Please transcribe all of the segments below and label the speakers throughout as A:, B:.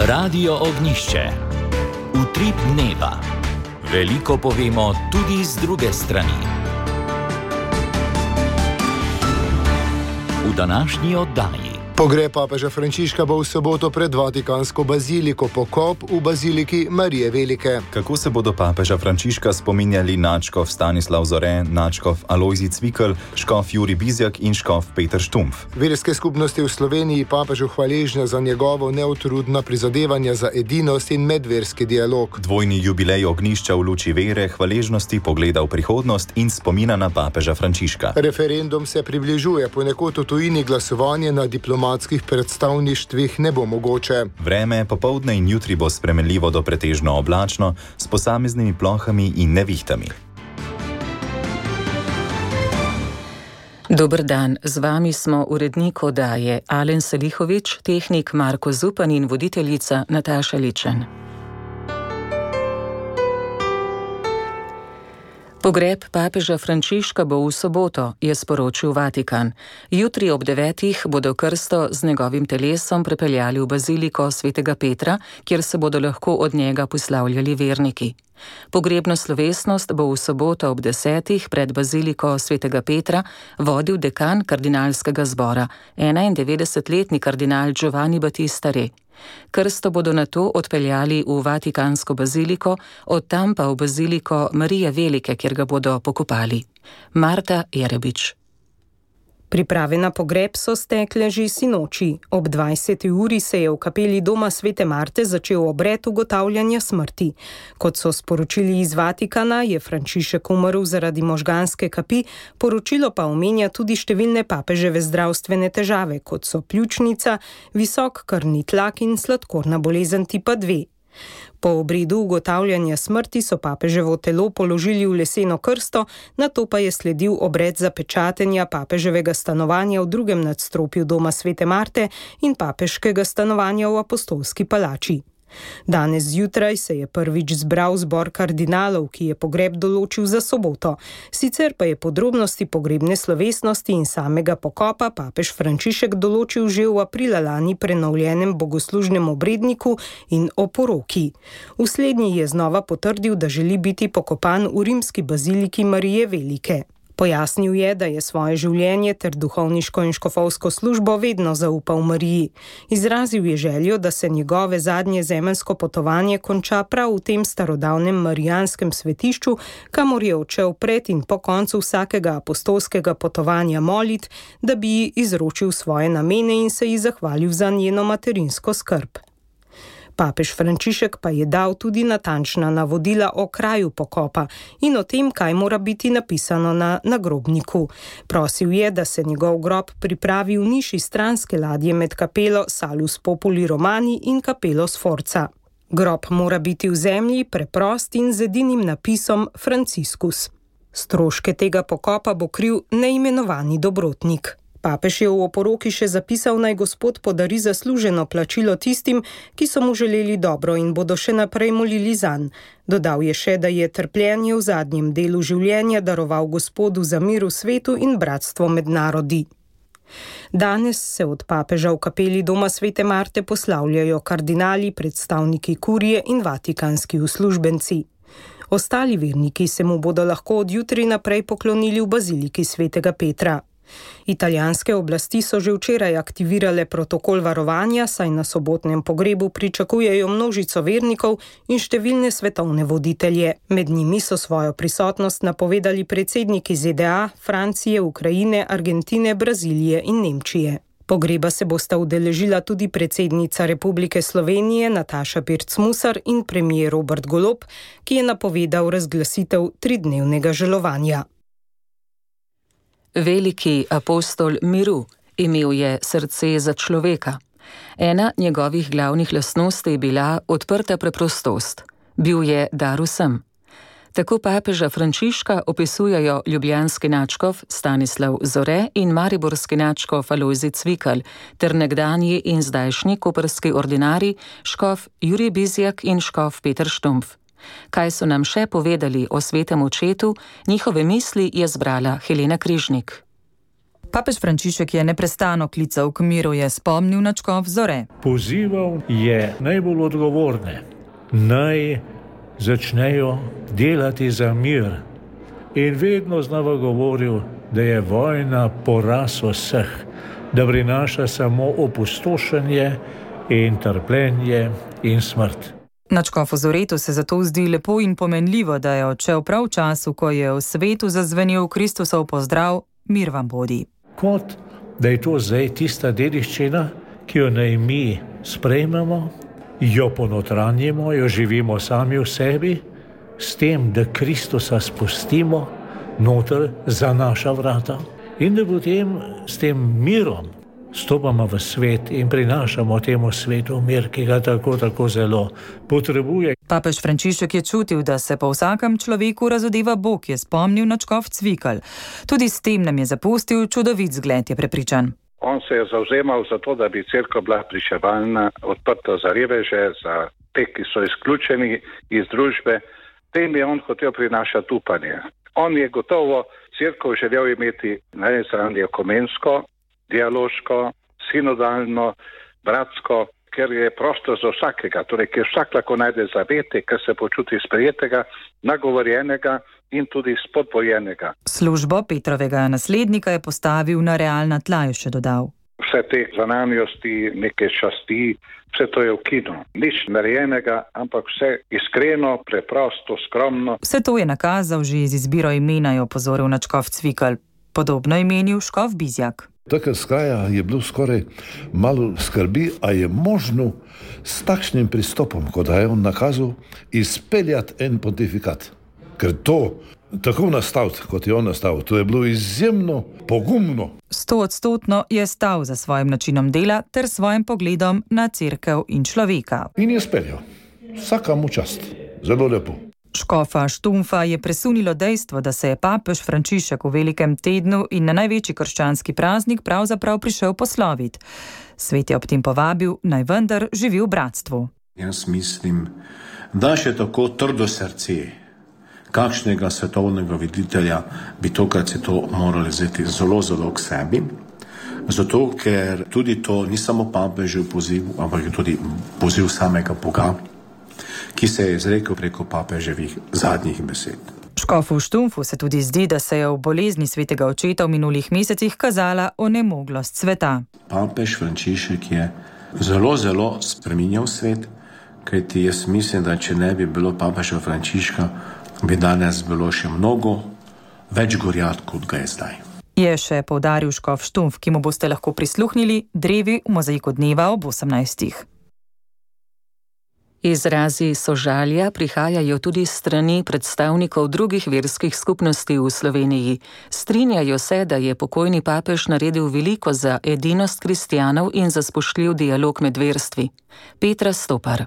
A: Radio Ognišče. Utrip dneva. Veliko povemo tudi z druge strani. V današnji oddaji.
B: Pogreb papeža Frančiška bo v soboto pred Vatikansko baziliko, pokop v baziliki Marije Velike.
C: Kako se bodo papeža Frančiška spominjali nadškof Stanislav Zore, nadškof Alojzij Cvikl, škof Jurij Bizjak in škof Peter Štumpf?
B: Verske skupnosti v Sloveniji papežu hvaležne za njegovo neutrudna prizadevanja za edinost in medverski dialog.
C: Dvojni jubilej Ognjišča v luči vere, hvaležnosti, pogleda v prihodnost in spomina na papeža Frančiška.
B: Referendum se približuje, ponekod v tujini glasovanje na diplomatskih predstavništvih ne bo mogoče.
C: Vreme popoldne in jutri bo spremenljivo do pretežno oblačno, s posameznimi plohami in nevihtami.
D: Dober dan, z vami smo urednik oddaje Alen Salihović, tehnik Marko Zupan in voditeljica Nataša Ličen. Pogreb papeža Frančiška bo v soboto, je sporočil Vatikan. Jutri ob 9. bodo krsto z njegovim telesom prepeljali v baziliko svetega Petra, kjer se bodo lahko od njega poslavljali verniki. Pogrebno slovesnost bo v soboto ob 10. pred baziliko svetega Petra vodil dekan kardinalskega zbora, 91-letni kardinal Giovanni Battista Re. Krsto bodo nato odpeljali v Vatikansko baziliko, od tam pa v baziliko Marije Velike, kjer ga bodo pokopali. Marta Jerebič.
E: Priprave na pogreb so stekle že sinoči. Ob 20. uri se je v kapeli doma Svete Marte začel obred ugotavljanja smrti. Kot so sporočili iz Vatikana, je Frančišek umrl zaradi možganske kapi, poročilo pa omenja tudi številne papeževe zdravstvene težave, kot so pljučnica, visok krvni tlak in sladkorna bolezen tipa 2. Po obredu ugotavljanja smrti so papeževo telo položili v leseno krsto, nato pa je sledil obred zapečatenja papeževega stanovanja v drugem nadstropju doma Svete Marte in papeškega stanovanja v Apostolski palači. Danes zjutraj se je prvič zbral zbor kardinalov, ki je pogreb določil za soboto. Sicer pa je podrobnosti pogrebne slovesnosti in samega pokopa papež Frančišek določil že v aprila lani prenovljenem bogoslužnem obredniku in oporoki. V slednji je znova potrdil, da želi biti pokopan v rimski baziliki Marije Velike. Pojasnil je, da je svoje življenje ter duhovniško in škofovsko službo vedno zaupal Mariji. Izrazil je željo, da se njegove zadnje zemeljsko potovanje konča prav v tem starodavnem marijanskem svetišču, kamor je odšel pred in po koncu vsakega apostolskega potovanja molit, da bi ji izročil svoje namene in se ji zahvalil za njeno materinsko skrb. Papež Frančišek pa je dal tudi natančna navodila o kraju pokopa in o tem, kaj mora biti napisano na nagrobniku. Prosil je, da se njegov grob pripravi v niši stranske ladje med kapelo Salus Populi Romani in kapelo Sforza. Grob mora biti v zemlji, preprost in z edinim napisom Franciscus. Stroške tega pokopa bo kril neimenovani dobrotnik. Papež je v oporoki še zapisal, naj Gospod podari zasluženo plačilo tistim, ki so mu želeli dobro in bodo še naprej molili zanj. Dodal je še, da je trpljenje v zadnjem delu življenja daroval Gospodu za mir v svetu in bratstvo med narodi. Danes se od papeža v kapeli doma Svete Marte poslavljajo kardinali, predstavniki kurije in vatikanski uslužbenci. Ostali verniki se mu bodo lahko od jutri naprej poklonili v baziliki Svetega Petra. Italijanske oblasti so že včeraj aktivirale protokol varovanja, saj na sobotnem pogrebu pričakujejo množico vernikov in številne svetovne voditelje. Med njimi so svojo prisotnost napovedali predsedniki ZDA, Francije, Ukrajine, Argentine, Brazilije in Nemčije. Pogreba se bosta udeležila tudi predsednica Republike Slovenije Nataša Pirc Musar in premier Robert Golob, ki je napovedal razglasitev 3-dnevnega žalovanja.
D: Veliki apostol miru, imel je srce za človeka. Ena njegovih glavnih lastnosti je bila odprta preprostost. Bil je dar vsem. Tako papeža Frančiška opisujejo ljubljanski nadškof Stanislav Zore in mariborski nadškof Alojzij Cvikl ter nekdanji in zdajšnji koprski ordinarij škof Jurij Bizjak in škof Peter Štumpf. Kaj so nam še povedali o svetem očetu, njihove misli je zbrala Helena Križnik.
F: Papež Frančišek je neprestano klical k miru, je spomnil na škof Zore.
G: Pozival je najbolj odgovorne, naj začnejo delati za mir. In vedno znova govoril, da je vojna poraz vseh, da prinaša samo opustošenje in trpljenje in smrt.
F: Nadškofu Zoretu se zato zdi lepo in pomenljivo, da je odšel prav v času, ko je v svetu zazvenel Kristusov pozdrav: mir vam bodi.
G: Kot da je to zdaj tista dediščina, ki jo naj mi sprejmemo, jo ponotranjimo, jo živimo sami v sebi, s tem, da Kristusa spustimo noter za naša vrata in da potem s tem mirom stopamo v svet in prinašamo temu svetu mir, ki ga tako zelo potrebuje.
F: Papež Frančišek je čutil, da se po vsakem človeku razodeva Bog, je spomnil nadškof Cvikl. Tudi s tem nam je zapustil čudovit zgled, je prepričan.
H: On se je zavzemal za to, da bi cerkev bila pričevalna, odprta za reveže, za te, ki so izključeni iz družbe. Tem je on hotel prinašati upanje. On je gotovo cerkev želel imeti na eni strani ekumensko, dialoško, sinodalno, bratsko, ker je prostor za vsakega, torej ker vsak lahko najde zavete, ker se počuti sprejetega, nagovorjenega in tudi spodbojenega.
F: Službo Petrovega naslednika je postavil na realna tla, je še dodal.
H: Vse te zanamjosti, neke časti, vse to je ukinjeno. Nič narejenega, ampak vse iskreno, preprosto, skromno.
F: Vse to je nakazal že z izbiro imena, je opozoril nadškof Cvikl. Podobno je menil škof Bizjak.
I: Takrat Skaja je bilo skoraj malo skrbi, a je možno s takšnim pristopom, kot je on nakazal, izpeljati en pontifikat. Ker to tako nastaviti, kot je on nastavil, to je bilo izjemno pogumno.
F: 100% je stal za svojim načinom dela ter svojim pogledom na cerkev in človeka.
I: In je speljal. Vsaka mu čast. Zelo lepo.
F: Škofa Štumfa je presunilo dejstvo, da se je papež Frančišek v velikem tednu in na največji krščanski praznik pravzaprav prišel posloviti. Svet je ob tem povabil, naj vendar živi v bratstvu.
J: Jaz mislim, da še tako trdo srce kakšnega svetovnega voditelja bi tokrat se to morali vzeti zelo k sebi. Zato, ker tudi to ni samo papežev poziv, ampak je tudi poziv samega Boga, ki se je izrekel preko papeževih zadnjih besed.
F: Škofu Štumfu se tudi zdi, da se je v bolezni svetega očeta v minulih mesecih kazala onemoglost sveta.
J: Papež Frančišek je zelo spreminjal svet, kajti jaz mislim, da če ne bi bilo papeža Frančiška, bi danes bilo še mnogo več gorjat, kot ga je zdaj.
F: Je še poudaril škof Štumf, ki mu boste lahko prisluhnili drevi v mozaiku dneva ob 18.
D: Izrazi sožalja prihajajo tudi s strani predstavnikov drugih verskih skupnosti v Sloveniji. Strinjajo se, da je pokojni papež naredil veliko za edinost kristjanov in za spoštljiv dialog med verstvi. Petra Stopar.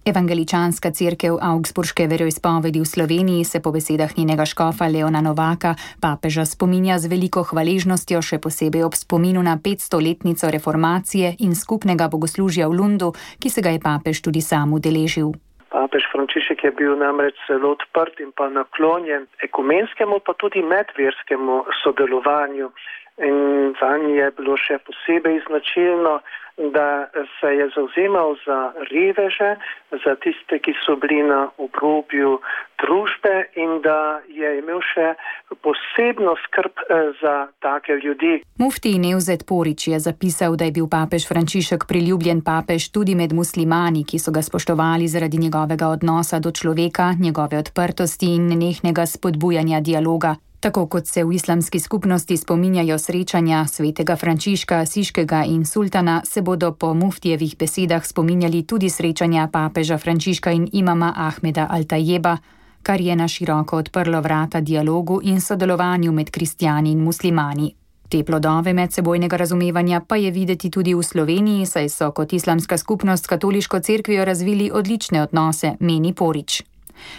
K: Evangeličanska cerkev Augsburške veroizpovedi v Sloveniji se po besedah njenega škofa Leona Novaka papeža spominja z veliko hvaležnostjo, še posebej ob spominu na 500-letnico reformacije in skupnega bogoslužja v Lundu, ki se ga je papež tudi sam udeležil.
L: Papež Frančišek je bil namreč zelo odprt in pa naklonjen ekumenskemu, pa tudi medverskemu sodelovanju. In zanj je bilo še posebej značilno, da se je zavzemal za reveže, za tiste, ki so bili na obrobju družbe in da je imel še posebno skrb za take ljudi.
K: Mufti Nevzet Porić je zapisal, da je bil papež Frančišek priljubljen papež tudi med muslimani, ki so ga spoštovali zaradi njegovega odnosa do človeka, njegove odprtosti in nenehnega spodbujanja dialoga. Tako kot se v islamski skupnosti spominjajo srečanja svetega Frančiška, Asiškega in sultana, se bodo po muftijevih besedah spominjali tudi srečanja papeža Frančiška in imama Ahmeda Al-Tajeba, kar je na široko odprlo vrata dialogu in sodelovanju med kristjani in muslimani. Te plodove medsebojnega razumevanja pa je videti tudi v Sloveniji, saj so kot islamska skupnost s katoliško cerkvijo razvili odlične odnose, meni Porić.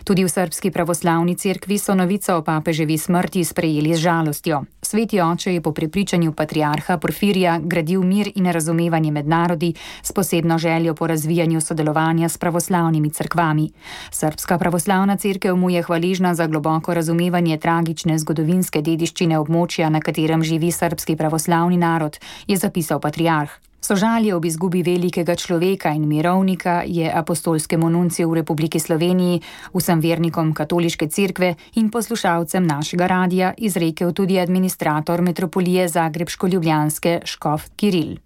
K: Tudi v Srbski pravoslavni cerkvi so novico o papeževi smrti sprejeli z žalostjo. Sveti oče je po prepričanju patriarha Porfirija gradil mir in razumevanje med narodi s posebno željo po razvijanju sodelovanja s pravoslavnimi cerkvami. Srbska pravoslavna cerkev mu je hvaležna za globoko razumevanje tragične zgodovinske dediščine območja, na katerem živi srbski pravoslavni narod, je zapisal patriarh. Sožalje ob izgubi velikega človeka in mirovnika je apostolskemu nunciju v Republiki Sloveniji, vsem vernikom katoliške cerkve in poslušalcem našega radija izrekel tudi administrator metropolije Zagrebško-Ljubljanske škof Kiril.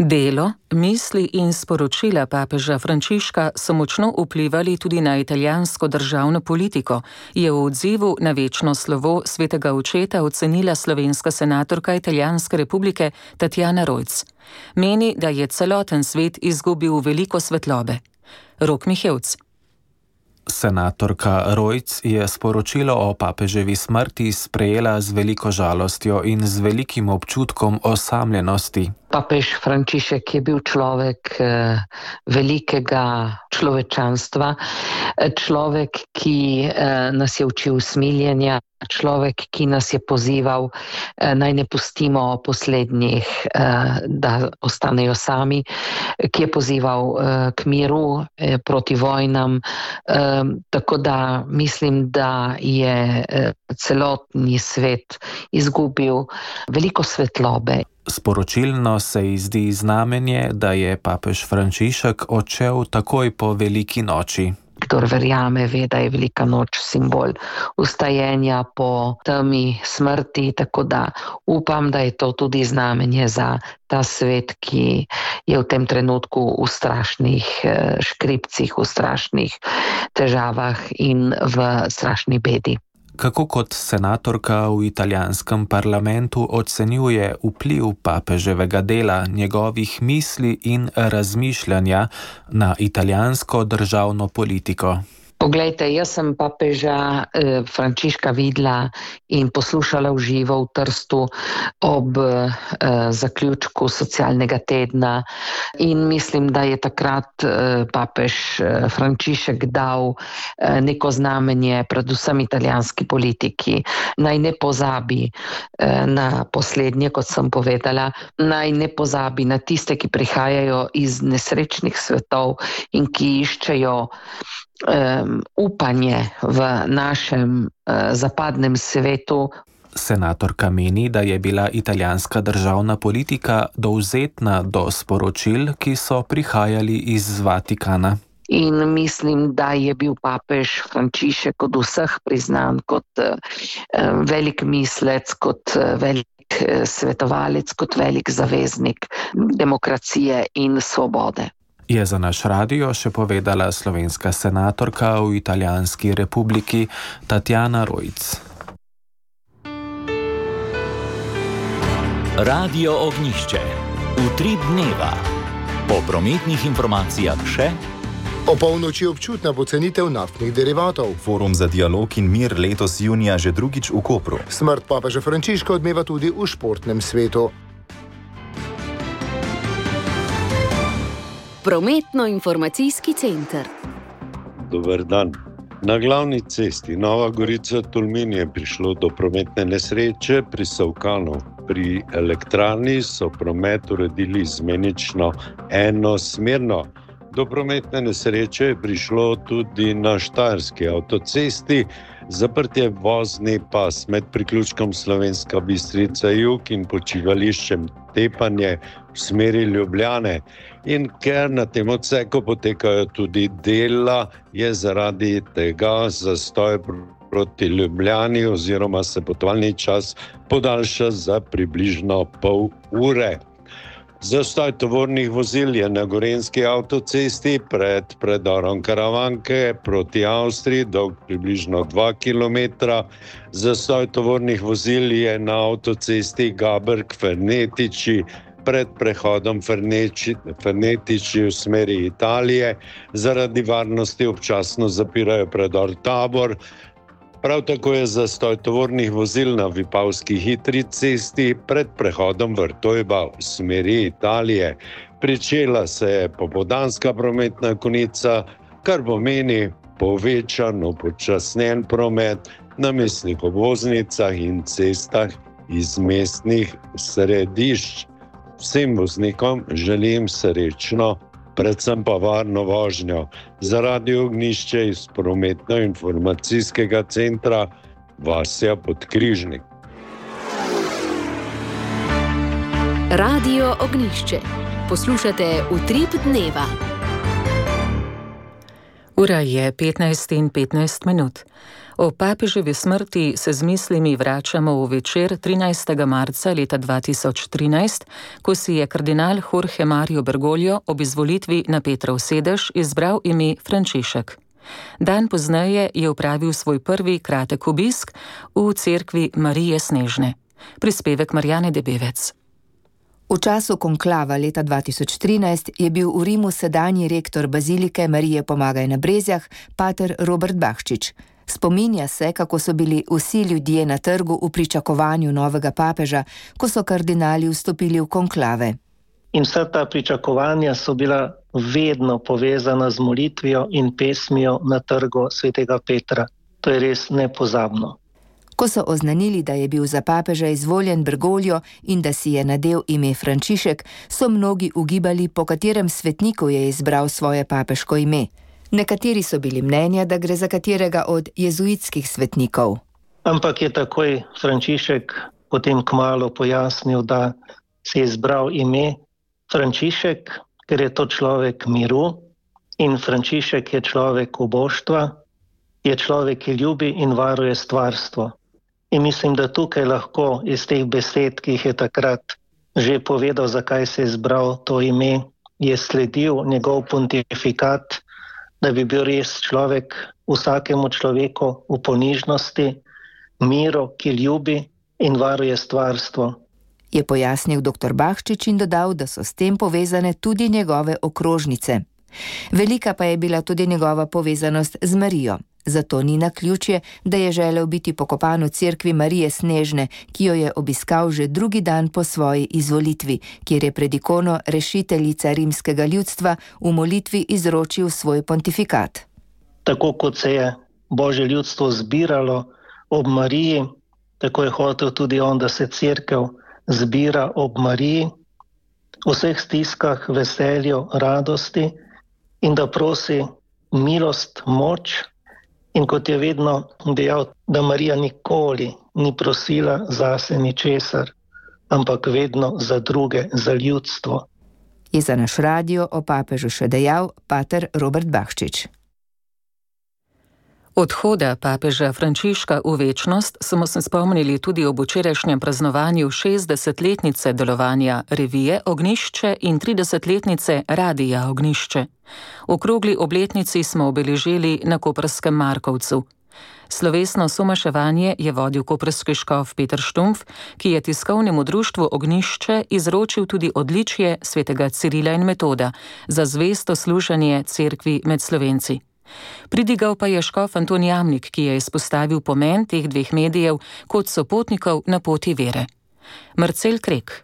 D: Delo, misli in sporočila papeža Frančiška so močno vplivali tudi na italijansko državno politiko, je v odzivu na večno slovo svetega očeta ocenila slovenska senatorka Italijanske republike Tatjana Rojc. Meni, da je celoten svet izgubil veliko svetlobe. Rok Mihevc.
M: Senatorka Rojc je sporočilo o papeževi smrti sprejela z veliko žalostjo in z velikim občutkom osamljenosti.
N: Papež Frančišek je bil človek velikega človečanstva, človek, ki nas je učil smiljenja, človek, ki nas je pozival, naj ne pustimo poslednjih, da ostanejo sami, ki je pozival k miru, proti vojnam. Tako da mislim, da je celotni svet izgubil veliko svetlobe.
M: Sporočilno se ji zdi znamenje, da je papež Frančišek odšel takoj po veliki noči.
N: Kdor verjame, ve, da je velika noč simbol vstajenja po temi smrti, tako da upam, da je to tudi znamenje za ta svet, ki je v tem trenutku v strašnih škripcih, v strašnih težavah in v strašni bedi.
M: Kako kot senatorka v italijanskem parlamentu ocenjuje vpliv papeževega dela, njegovih misli in razmišljanja na italijansko državno politiko?
N: Poglejte, jaz sem papeža Frančiška videla in poslušala v živo v Trstu ob zaključku socialnega tedna in mislim, da je takrat papež Frančišek dal neko znamenje predvsem italijanski politiki. Naj ne pozabi na poslednje, kot sem povedala, naj ne pozabi na tiste, ki prihajajo iz nesrečnih svetov in ki iščejo upanje v našem zapadnem svetu.
M: Senatorka meni, da je bila italijanska državna politika dovzetna do sporočil, ki so prihajali iz Vatikana.
N: In mislim, da je bil papež Frančišek od vseh priznan kot velik mislec, kot velik svetovalec, kot velik zaveznik demokracije in svobode.
M: Je za naš radio še povedala slovenska senatorka v Italijanski republiki Tatjana Rojc.
A: Radio Ognjišče. Utrip dneva. Po prometnih informacijah še.
B: O polnoči občutna pocenitev naftnih derivatov.
C: Forum za dialog in mir letos junija že drugič v Kopru.
B: Smrt papeža Frančiška odmeva tudi v športnem svetu.
O: Prometno-informacijski center.
J: Dober dan. Na glavni cesti Nova Gorica-Tolmin je prišlo do prometne nesreče pri Savkanu. Pri elektrarni so promet uredili izmenično enosmerno. Do prometne nesreče je prišlo tudi na Štajerski avtocesti. Zaprt je vozni pas med priključkom Slovenska Bistrica jug in počivališčem Tepanje v smeri Ljubljane. In ker na tem odseku potekajo tudi dela, je zaradi tega zastoj proti Ljubljani oziroma se potovalni čas podaljša za približno pol ure. Zastoj tovornih vozil je na Gorenjski avtocesti pred predorom Karavanke proti Avstriji dolg približno 2 km. Zastoj tovornih vozil je na avtocesti Gaberg-Fernetiči pred prehodom Fernetiči v smeri Italije. Zaradi varnosti občasno zapirajo predor Tabor. Prav tako je zastoj tovornih vozil na Vipavski hitri cesti pred prehodom Vrtojba v smeri Italije.
P: Pričela se je popoldanska prometna konica, kar pomeni povečan, upočasnjen promet na mestnih obvoznicah in cestah iz mestnih središč. Vsem voznikom želim srečno, predvsem pa varno vožnjo. Za Radio Ognjišče iz prometno-informacijskega centra Vasja Podkrižnik.
O: Radio Ognjišče. Poslušate Utrip dneva.
D: Ura je 15:15. O papeževi smrti se z mislimi vračamo v večer 13. marca leta 2013, ko si je kardinal Jorge Mario Bergoglio ob izvolitvi na Petrov sedež izbral ime Frančišek. Dan pozneje je opravil svoj prvi kratek obisk v cerkvi Marije Snežne. Prispevek Marjane Debevec.
Q: V času konklava leta 2013 je bil v Rimu sedanji rektor bazilike Marije Pomagaj na Brezjah, pater Robert Bahčič. Spominja se, kako so bili vsi ljudje na trgu v pričakovanju novega papeža, ko so kardinali vstopili v konklave.
L: In vsa ta pričakovanja so bila vedno povezana z molitvijo in pesmijo na trgu svetega Petra. To je res nepozabno.
Q: Ko so oznanili, da je bil za papeža izvoljen Bergoglio in da si je nadel ime Frančišek, so mnogi ugibali, po katerem svetniku je izbral svoje papeško ime. Nekateri so bili mnenja, da gre za katerega od jezuitskih svetnikov.
L: Ampak je takoj Frančišek potem kmalu pojasnil, da si je izbral ime Frančišek, ker je to človek miru in Frančišek je človek uboštva, je človek, ki ljubi in varuje stvarstvo. In mislim, da tukaj lahko iz teh besed, ki jih je takrat že povedal, zakaj se je izbral to ime, je sledil njegov pontifikat, da bi bil res človek vsakemu človeku v ponižnosti, miru, ki ljubi in varuje stvarstvo.
Q: Je pojasnil dr. Bahčič in dodal, da so s tem povezane tudi njegove okrožnice. Velika pa je bila tudi njegova povezanost z Marijo. Zato ni naključje, da je želel biti pokopan v cerkvi Marije Snežne, ki jo je obiskal že drugi dan po svoji izvolitvi, kjer je pred ikono rešiteljica rimskega ljudstva v molitvi izročil svoj pontifikat.
L: Tako kot se je Božje ljudstvo zbiralo ob Mariji, tako je hotel tudi on, da se cerkev zbira ob Mariji, v vseh stiskah, veselju, radosti in da prosi milost, moč. In kot je vedno dejal, da Marija nikoli ni prosila zase ničesar, ampak vedno za druge, za ljudstvo.
Q: Je za naš radio o papežu še dejal pater Robert Bahčič.
D: Odhoda papeža Frančiška v večnost smo se spomnili tudi ob včerajšnjem praznovanju 60-letnice delovanja revije Ognjišče in 30-letnice Radia Ognjišče. Okrogli obletnici smo obeležili na koprskem Markovcu. Slovesno somaševanje je vodil koprski škof Peter Štumpf, ki je tiskovnemu društvu Ognjišče izročil tudi odličje svetega Cirila in Metoda za zvesto služenje cerkvi med Slovenci. Pridigal pa je škof Anton Jamnik, ki je izpostavil pomen teh dveh medijev kot sopotnikov na poti vere. Marcel Krek.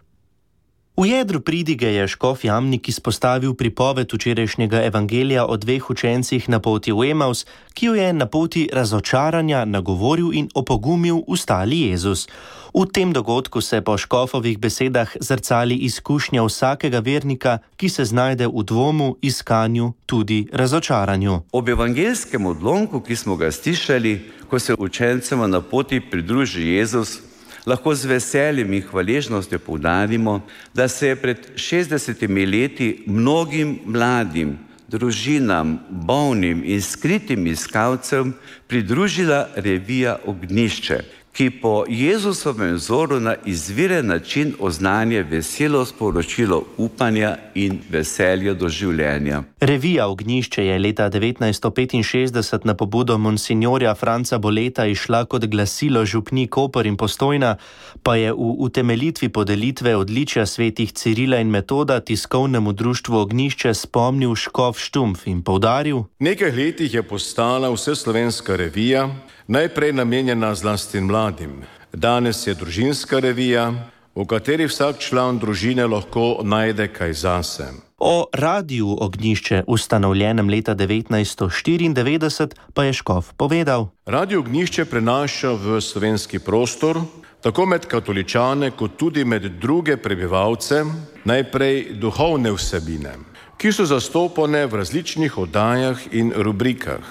R: V jedru pridige je škof Jamnik izpostavil pripoved včerajšnjega evangelija o dveh učencih na poti v Emaus, ki jo je na poti razočaranja nagovoril in opogumil ustali Jezus. V tem dogodku se po škofovih besedah zrcali izkušnja vsakega vernika, ki se znajde v dvomu, iskanju, tudi razočaranju.
S: Ob evangelskem odlomku, ki smo ga slišali, ko se učencema na poti pridruži Jezus, lahko z veseljem in hvaležnostjo poudarimo, da se je pred 60 leti mnogim mladim, družinam, bolnim in skritim iskalcem pridružila revija Ognjišče, ki po Jezusovem vzoru na izviren način oznanja veselo sporočilo upanja in veselja do življenja.
R: Revija Ognjišče je leta 1965 na pobudo monsignorja Franca Boleta išla kot glasilo župni Koper in Postojna, pa je v utemeljitvi podelitve odličja svetih Cirila in Metoda tiskovnemu društvu Ognjišče spomnil škof Štumpf in poudaril:
T: Nekaj letih je postala vseslovenska revija, najprej namenjena zlasti mladim. Danes je družinska revija, v kateri vsak član družine lahko najde kaj zase.
R: O radiju Ognjišče, ustanovljenem leta 1994, pa je škof povedal:
T: Radio Ognjišče prenaša v slovenski prostor, tako med katoličane, kot tudi med druge prebivalce, najprej duhovne vsebine, ki so zastopane v različnih oddajah in rubrikah.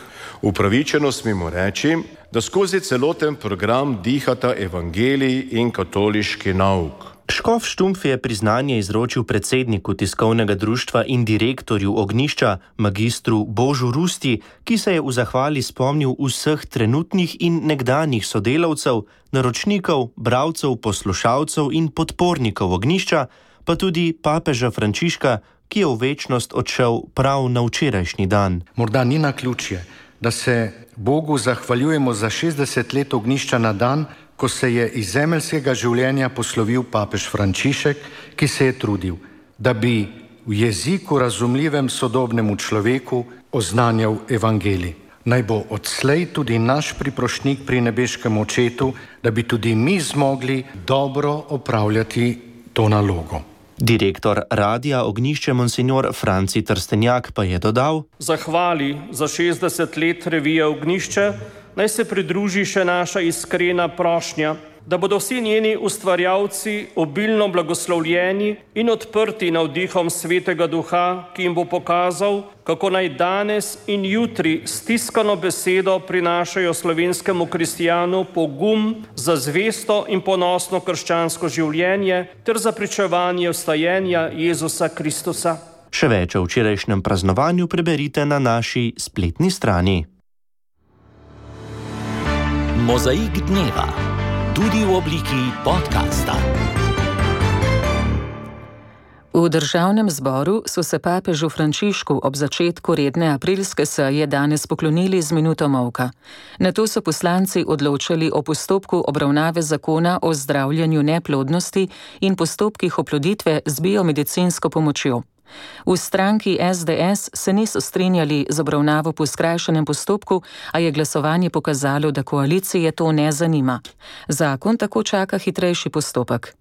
T: Upravičeno smemo reči, da skozi celoten program dihata evangelij in katoliški nauk.
R: Škof Štumpf je priznanje izročil predsedniku tiskovnega društva in direktorju Ognjišča, magistru Božu Rusti, ki se je v zahvali spomnil vseh trenutnih in nekdanjih sodelavcev, naročnikov, bralcev, poslušalcev in podpornikov Ognjišča, pa tudi papeža Frančiška, ki je v večnost odšel prav na včerajšnji dan.
U: Morda ni naključje, da se Bogu zahvaljujemo za 60 let Ognjišča na dan, ko se je iz zemeljskega življenja poslovil papež Frančišek, ki se je trudil, da bi v jeziku razumljivem sodobnemu človeku oznanjal evangelij. Naj bo odslej tudi naš priprošnjik pri nebeškem očetu, da bi tudi mi zmogli dobro opravljati to nalogo.
R: Direktor Radia Ognjišče monsignor Franci Trstenjak pa je dodal:
V: Zahvali za 60 let revije Ognjišče naj se pridruži še naša iskrena prošnja, da bodo vsi njeni ustvarjalci obilno blagoslovljeni in odprti navdihom Svetega Duha, ki jim bo pokazal, kako naj danes in jutri stiskano besedo prinašajo slovenskemu kristijanu pogum za zvesto in ponosno krščansko življenje ter za pričevanje vstajenja Jezusa Kristusa.
R: Še več o včerajšnjem praznovanju preberite na naši spletni strani.
A: Mozaik dneva, tudi v obliki podcasta.
D: V državnem zboru so se papežu Frančišku ob začetku redne aprilske seje danes poklonili z minuto molka. Nato so poslanci odločali o postopku obravnave zakona o zdravljenju neplodnosti in postopkih oploditve z biomedicinsko pomočjo. V stranki SDS se niso strinjali z obravnavo po skrajšanem postopku, a je glasovanje pokazalo, da koalicije to ne zanima. Zakon tako čaka hitrejši postopek.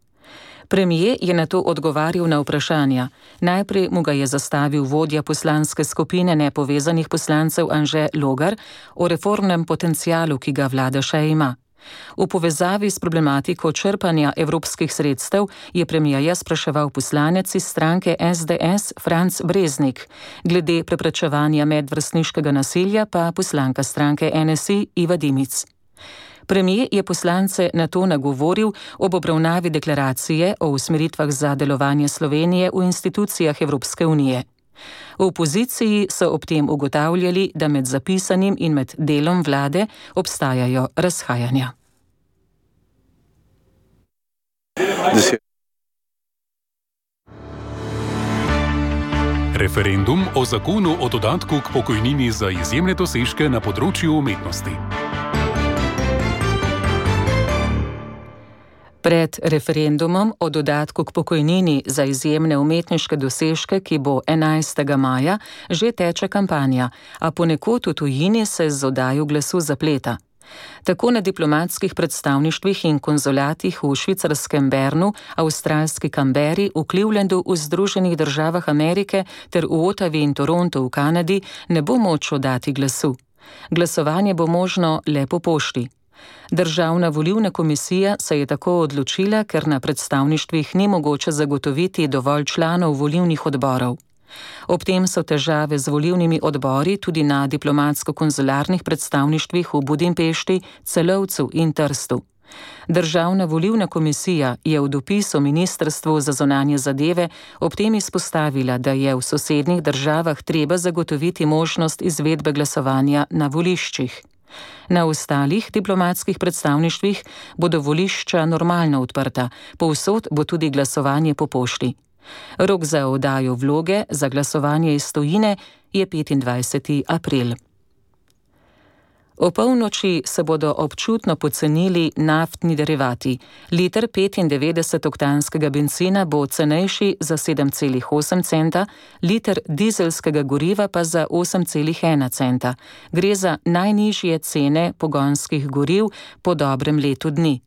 D: Premier je na to odgovarjal na vprašanja. Najprej mu ga je zastavil vodja poslanske skupine nepovezanih poslancev Anže Logar o reformnem potencialu, ki ga vlada še ima. V povezavi s problematiko črpanja evropskih sredstev je premierja spraševal poslanec iz stranke SDS Franc Breznik, glede preprečevanja medvrstniškega nasilja pa poslanka stranke NSI Iva Dimic. Premier je poslance na to nagovoril ob obravnavi deklaracije o usmeritvah za delovanje Slovenije v institucijah Evropske unije. V opoziciji so ob tem ugotavljali, da med zapisanim in med delom vlade obstajajo razhajanja.
W: Referendum o zakonu o dodatku k pokojnini za izjemne dosežke na področju umetnosti.
D: Pred referendumom o dodatku k pokojnini za izjemne umetniške dosežke, ki bo 11. maja, že teče kampanja, a ponekod v tujini se z oddajo glasu zapleta. Tako na diplomatskih predstavništvih in konzulatih v švicarskem Bernu, avstralski Canberri, v Clevelandu v Združenih državah Amerike ter v Ottawi in Torontu v Kanadi ne bo moč oddati glasu. Glasovanje bo možno le po pošti. Državna volilna komisija se je tako odločila, ker na predstavništvih ni mogoče zagotoviti dovolj članov volilnih odborov. Ob tem so težave z volilnimi odbori tudi na diplomatsko-konzularnih predstavništvih v Budimpešti, Celovcu in Trstu. Državna volilna komisija je v dopisu Ministrstvu za zunanje zadeve ob tem izpostavila, da je v sosednjih državah treba zagotoviti možnost izvedbe glasovanja na voliščih. Na ostalih diplomatskih predstavništvih bodo volišča normalno odprta, povsod bo tudi glasovanje po pošti. Rok za oddajo vloge za glasovanje iz tujine je 25. april. O polnoči se bodo občutno pocenili naftni derivati. Liter 95-oktanskega bencina bo cenejši za 7,8 centa, liter dizelskega goriva pa za 8,1 centa. Gre za najnižje cene pogonskih goriv po dobrem letu dni.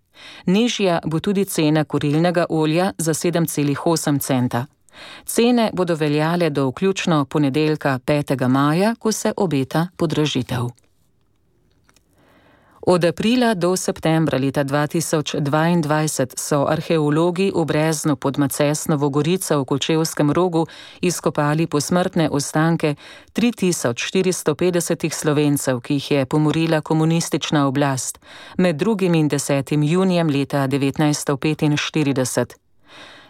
D: Nižja bo tudi cena kurilnega olja za 7,8 centa. Cene bodo veljale do vključno ponedeljka 5. maja, ko se obeta podražitev. Od aprila do septembra leta 2022 so arheologi v Breznu pod Macesnovo Gorico v Kočevskem Rogu izkopali posmrtne ostanke 3450 Slovencev, ki jih je pomorila komunistična oblast med 2. in 10. junijem leta 1945.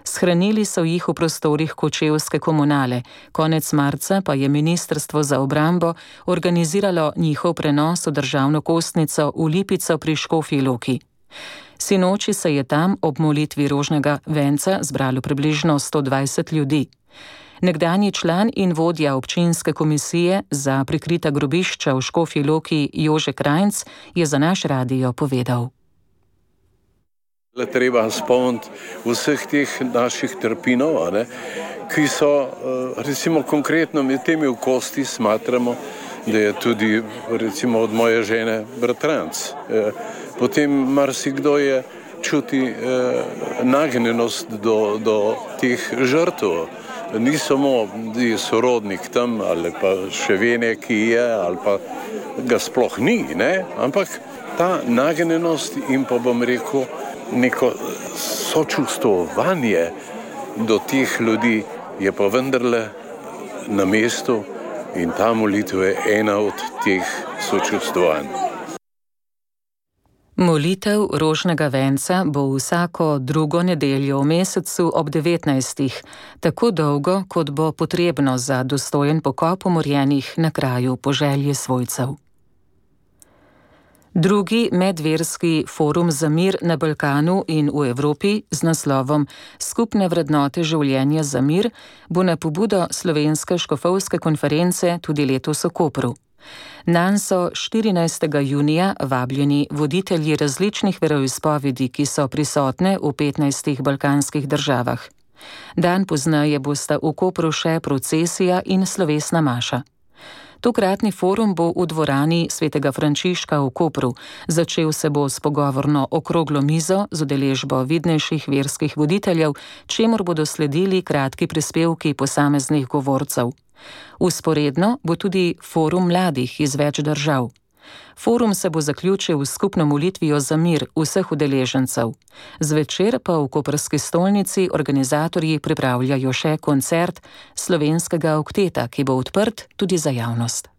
D: Shranili so jih v prostorih kočevske komunale, konec marca pa je Ministrstvo za obrambo organiziralo njihov prenos v državno kostnico v Lipico pri Škofji Loki. Sinoči se je tam ob molitvi rožnega venca zbralo približno 120 ljudi. Nekdanji član in vodja občinske komisije za prikrita grobišča v Škofji Loki Jože Krajnc je za naš radio povedal.
E: Treba spomniti vseh teh naših trpinov, ki so, recimo konkretno med temi v kosti smatramo, da je tudi recimo od moje žene bratranc. Potem marsikdo je čuti nagnjenost do teh žrtev. Ni samo sorodnik tam ali pa še vene, ki je, ali pa ga sploh ni, ampak ta nagnjenost in pa bom rekel, neko sočustvovanje do teh ljudi je pa vendarle na mestu in ta molitev je ena od teh sočustvovanj.
D: Molitev rožnega venca bo vsako drugo nedeljo v mesecu ob 19. tako dolgo, kot bo potrebno za dostojen pokop umorjenih na kraju po želji svojcev. Drugi medverski forum za mir na Balkanu in v Evropi z naslovom Skupne vrednote življenja za mir bo na pobudo Slovenske škofovske konference tudi letos v Kopru. Nanj so 14. junija vabljeni voditelji različnih veroizpovedi, ki so prisotne v 15 balkanskih državah. Dan pozneje bosta v Kopru še procesija in slovesna maša. Tokratni forum bo v dvorani Svetega Frančiška v Kopru. Začel se bo s pogovorno okroglo mizo z udeležbo vidnejših verskih voditeljev, čemur bodo sledili kratki prispevki posameznih govorcev. Vzporedno bo tudi forum mladih iz več držav. Forum se bo zaključil s skupno molitvijo za mir vseh udeležencev. Zvečer pa v koprski stolnici organizatorji pripravljajo še koncert slovenskega okteta, ki bo odprt tudi za javnost.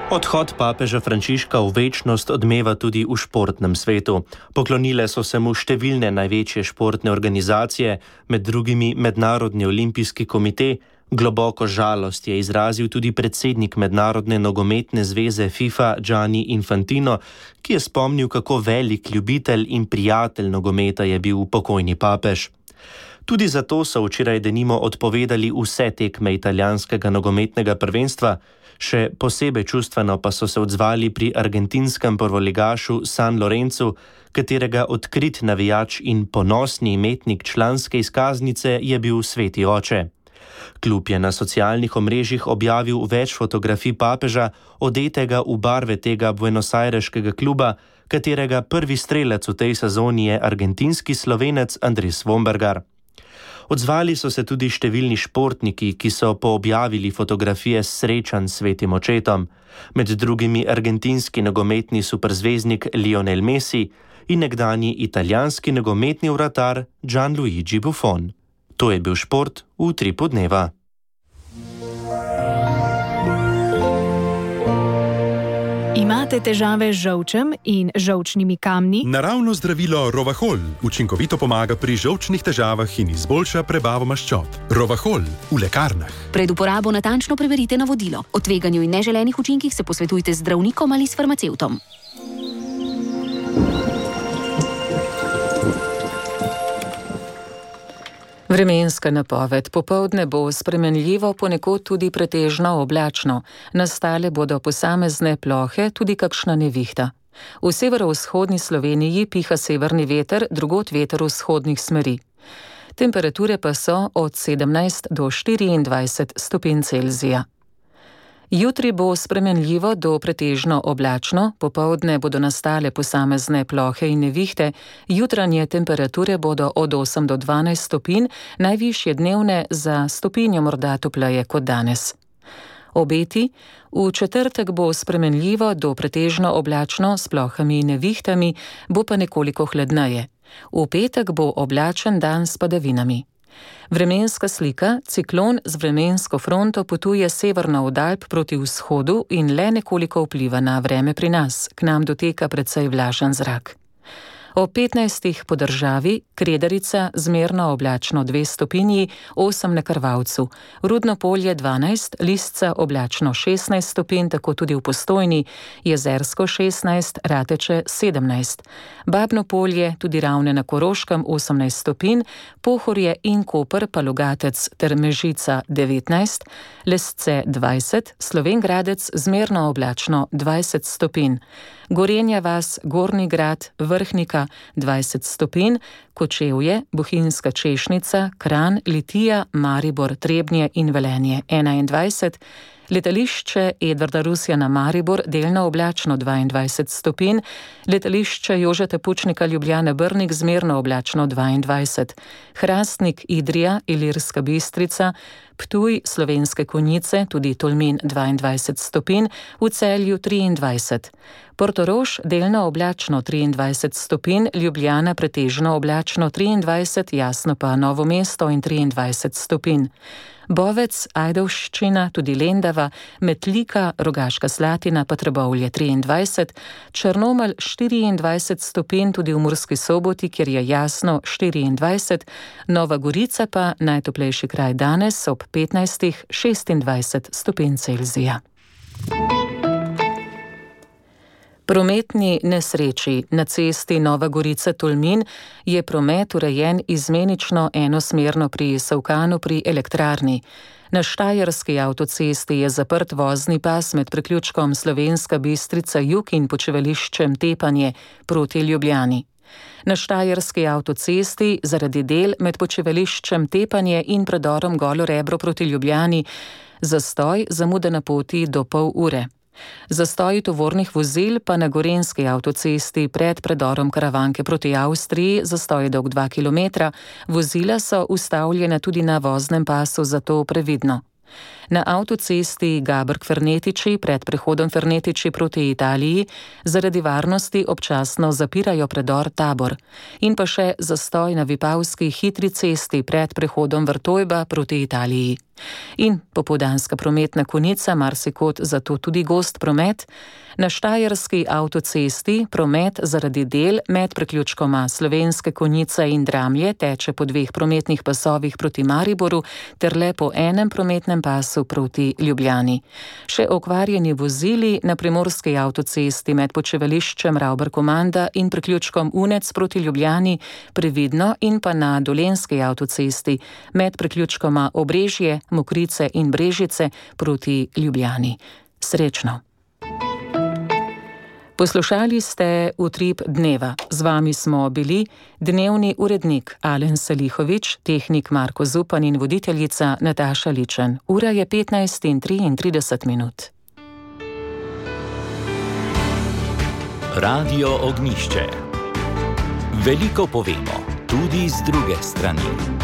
R: Odhod papeža Frančiška v večnost odmeva tudi v športnem svetu. Poklonile so se mu številne največje športne organizacije, med drugimi Mednarodni olimpijski komite. Globoko žalost je izrazil tudi predsednik Mednarodne nogometne zveze FIFA Gianni Infantino, ki je spomnil, kako velik ljubitelj in prijatelj nogometa je bil pokojni papež. Tudi zato so včeraj denimo odpovedali vse tekme italijanskega nogometnega prvenstva. Še posebej čustveno pa so se odzvali pri argentinskem prvoligašu San Lorenzu, katerega odkrit navijač in ponosni imetnik članske izkaznice je bil sveti oče. Klub je na socialnih omrežjih objavil več fotografij papeža, odetega v barve tega buenosajreškega kluba, katerega prvi strelec v tej sezoni je argentinski Slovenec Andres Vombergar. Odzvali so se tudi številni športniki, ki so poobjavili fotografije srečanj s svetim očetom, med drugimi argentinski nogometni superzvezdnik Lionel Messi in nekdanji italijanski nogometni vratar Gianluigi Buffon. To je bil šport v Utripu dneva.
O: Imate težave z žolčem in žolčnimi kamni?
G: Naravno zdravilo Rovahol učinkovito pomaga pri žolčnih težavah in izboljša prebavo maščob. Rovahol v lekarnah.
O: Pred uporabo natančno preverite navodilo. O tveganju in neželenih učinkih se posvetujte z zdravnikom ali s farmacevtom.
D: Vremenska napoved. Popoldne bo spremenljivo, ponekod tudi pretežno oblačno. Nastale bodo posamezne plohe, tudi kakšna nevihta. V severovzhodni Sloveniji piha severni veter, drugod veter vzhodnih smeri. Temperature pa so od 17 do 24 stopinj Celzija. Jutri bo spremenljivo do pretežno oblačno, popoldne bodo nastale posamezne plohe in nevihte, jutranje temperature bodo od 8 do 12 stopinj, najvišje dnevne za stopinjo morda topleje kot danes. Obeti: v četrtek bo spremenljivo do pretežno oblačno s plohami in nevihtami, bo pa nekoliko hladneje. V petek bo oblačen dan s padavinami. Vremenska slika: ciklon z vremensko fronto potuje severno od Alp proti vzhodu in le nekoliko vpliva na vreme pri nas, k nam doteka precej vlažen zrak. O 15 po državi: Kredarica zmerno oblačno 2 stopinji, 8 na Krvavcu, Rudno Polje 12, Lisca oblačno 16 stopinj, tako tudi v Postojni, Jezersko 16, Rateče 17, Babno Polje, tudi Ravne na Koroškem 18 stopinj, Pohorje in Koper pa Logatec ter Mežica 19, Lesce 20, Slovenj Gradec zmerno oblačno 20 stopinj, Gorenja vas, Gornji Grad, Vrhnika 20 stopinj, Kočevje, Bohinjska Češnica, Kranj, Litija, Maribor, Trebnje in Velenje 21, letališče Edvarda Rusjana Maribor delno oblačno 22 stopinj, letališče Jožeta Pučnika Ljubljana Brnik zmerno oblačno 22, Hrastnik Idrija, Ilirska Bistrica, Ptuj, Slovenske Konjice, tudi Tolmin 22 stopinj, v Celju 23, Portorož delno oblačno 23 stopinj, Ljubljana pretežno oblačno 23, jasno pa Novo mesto in 23 stopinj. Bovec, Ajdovščina, tudi Lendava, Metlika, Rogaška Slatina pa Trbovlje 23, Črnomelj 24 stopinj, tudi v Murski Soboti, kjer je jasno 24, Nova Gorica pa najtoplejši kraj danes ob 15-26 stopinj Celzija. Prometni nesreči. Na cesti Nova Gorica-Tolmin je promet urejen izmenično enosmerno pri Savkanu pri elektrarni. Na Štajerski avtocesti je zaprt vozni pas med priključkom Slovenska Bistrica Jug in počivališčem Tepanje proti Ljubljani. Na Štajerski avtocesti zaradi del med počivališčem Tepanje in predorom Golo Rebro proti Ljubljani zastoj, zamuda na poti do pol ure. Zastoji tovornih vozil pa na Gorenjski avtocesti pred predorom Karavanke proti Avstriji, zastoj je dolg 2 km, vozila so ustavljena tudi na voznem pasu, zato previdno. Na avtocesti Gabrk-Fernetiči pred prehodom Fernetiči proti Italiji zaradi varnosti občasno zapirajo predor Tabor. In pa še zastoj na Vipavski hitri cesti pred prehodom Vrtojba proti Italiji. In popoldanska prometna konica, marsikod zato tudi gost promet. Na Štajerski avtocesti promet zaradi del med priključkoma Slovenske Konjice in Dramlje teče po 2 prometnih pasovih proti Mariboru ter le po enem prometnem pasu proti Ljubljani. Še okvarjeni vozili na Primorski avtocesti med počivališčem Ravbar-Komanda in priključkom Unec proti Ljubljani previdno, in pa na Dolenjski avtocesti med priključkoma Obrežje, Mokrice in Brežice proti Ljubljani. Srečno! Poslušali ste Utrip dneva. Z vami smo bili dnevni urednik Alen Salihovič, tehnik Marko Zupan in voditeljica Nataša Ličen. Ura je 15:33.
A: Radio Ognjišče. Veliko povemo, tudi z druge strani.